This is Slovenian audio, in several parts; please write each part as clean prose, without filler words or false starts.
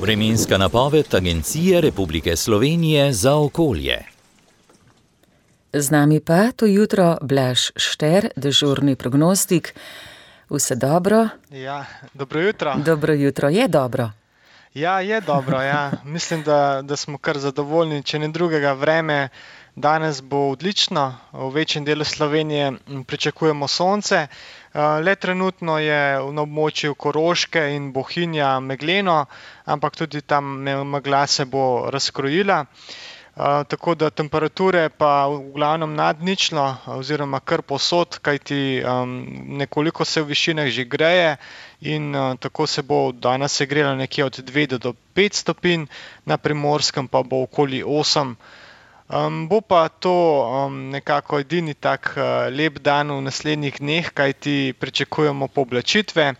Vremenska napoved Agencije Republike Slovenije za okolje. Z nami pa to jutro Blaž Šter, dežurni prognostik. Vse dobro? Ja, dobro jutro. Dobro jutro, je dobro? Ja, je dobro, ja. Mislim, da smo kar zadovoljni, če ne drugega vreme. Danes bo odlično, v večjem delu Slovenije pričakujemo sonce. Le trenutno je na območju Koroške in Bohinja megleno, ampak tudi tam megla se bo razkrojila. Tako da temperature pa v glavnem nad ničlo oziroma kar povsod, kajti nekoliko se v višinah že greje in tako se bo danes segrelo nekje od 2 do 5 stopinj, na Primorskem pa bo okoli 8. Bo pa to nekako edini tak lep dan v naslednjih dneh, kajti pričakujemo pooblačitve.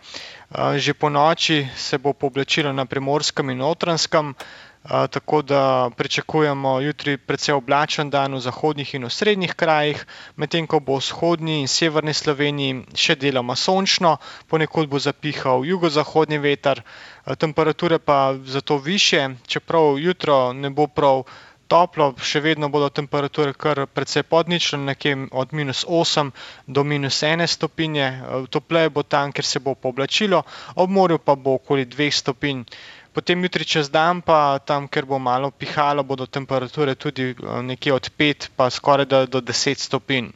Že po noči se bo pooblačilo na Primorskem in Notranjskem, tako da pričakujemo jutri precej oblačen dan v zahodnih in osrednjih krajih, medtem ko bo v vzhodni in severni Sloveniji še deloma sončno, ponekod bo zapihal jugozahodni veter, temperature pa zato višje, čeprav jutro ne bo prav toplo, še vedno bodo temperature kar precej pod ničlo, nekje od -8 do -1 stopinje. Topleje bo tam, ker se bo pooblačilo, ob morju pa bo okoli 2 stopinj. Potem jutri čez dan pa tam, ker bo malo pihalo, bodo temperature tudi nekje od 5 pa skoraj do 10 stopinj.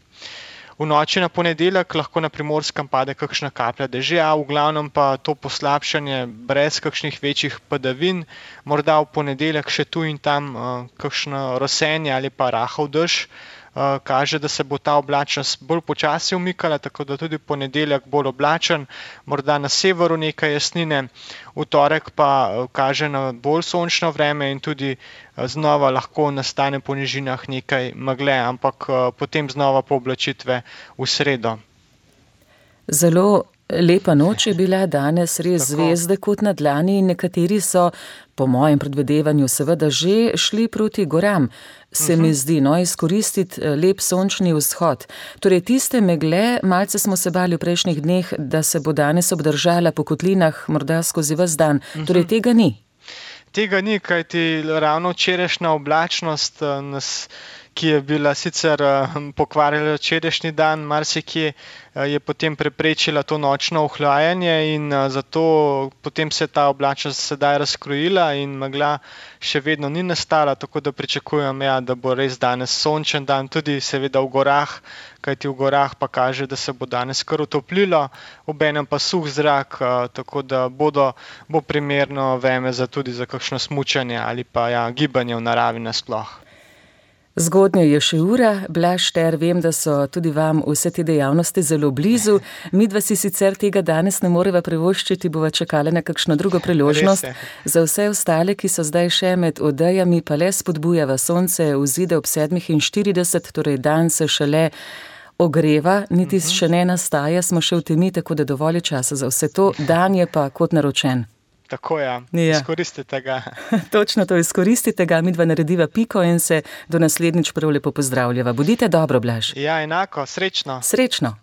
V noči na ponedeljek lahko na Primorskem pade kakšna kaplja dežja, v glavnem pa to poslabšanje brez kakšnih večjih padavin, morda v ponedeljek še tu in tam kakšno rosenje ali pa rahel dež. Kaže, da se bo ta oblačnost bolj počasi umikala, tako da tudi ponedeljek bolj oblačen, morda na severu nekaj jasnine, v torek pa kaže na bolj sončno vreme in tudi znova lahko nastane po nižinah nekaj megle, ampak potem znova pooblačitve v sredo. Zelo lepa noč je bila danes, res zvezde kot na dlani in nekateri so, po mojem predvidevanju, seveda že šli proti goram. Se mi zdi, izkoristiti lep sončni vzhod. Torej tiste megle, malce smo se bali v prejšnjih dneh, da se bo danes obdržala po kotlinah morda skozi ves dan. Torej tega ni. Tega ni, kajti ravno včerajšnja oblačnost ki je bila sicer pokvarila včerajšnji dan, marsikje je potem preprečila to nočno ohlajanje in zato potem se je ta oblačnost sedaj razkrojila in megla še vedno ni nastala, tako da pričakujem, da bo res danes sončen dan, tudi seveda v gorah, kajti v gorah pa kaže, da se bo danes kar utoplilo, obenem pa suh zrak, tako da bo primerno vreme tudi za kakšno smučanje ali pa gibanje v naravi nasploh. Zgodnja je še ura, Blaž Šter, vem, da so tudi vam vse te dejavnosti zelo blizu. Midva si sicer tega danes ne moreva privoščiti, bova čakala na kakšno drugo priložnost. Za vse ostale, ki so zdaj še med odejami, pa le spodbujava, sonce vzide ob 7:40, torej dan se šele ogreva, niti še ne nastaja, smo še v temi, tako da dovolj časa za vse to, dan je pa kot naročen. Tako izkoristite ga. Točno to, izkoristite ga, midva narediva piko in se do naslednjič prav lepo pozdravljava. Bodite dobro, Blaž. Ja, enako, srečno. Srečno.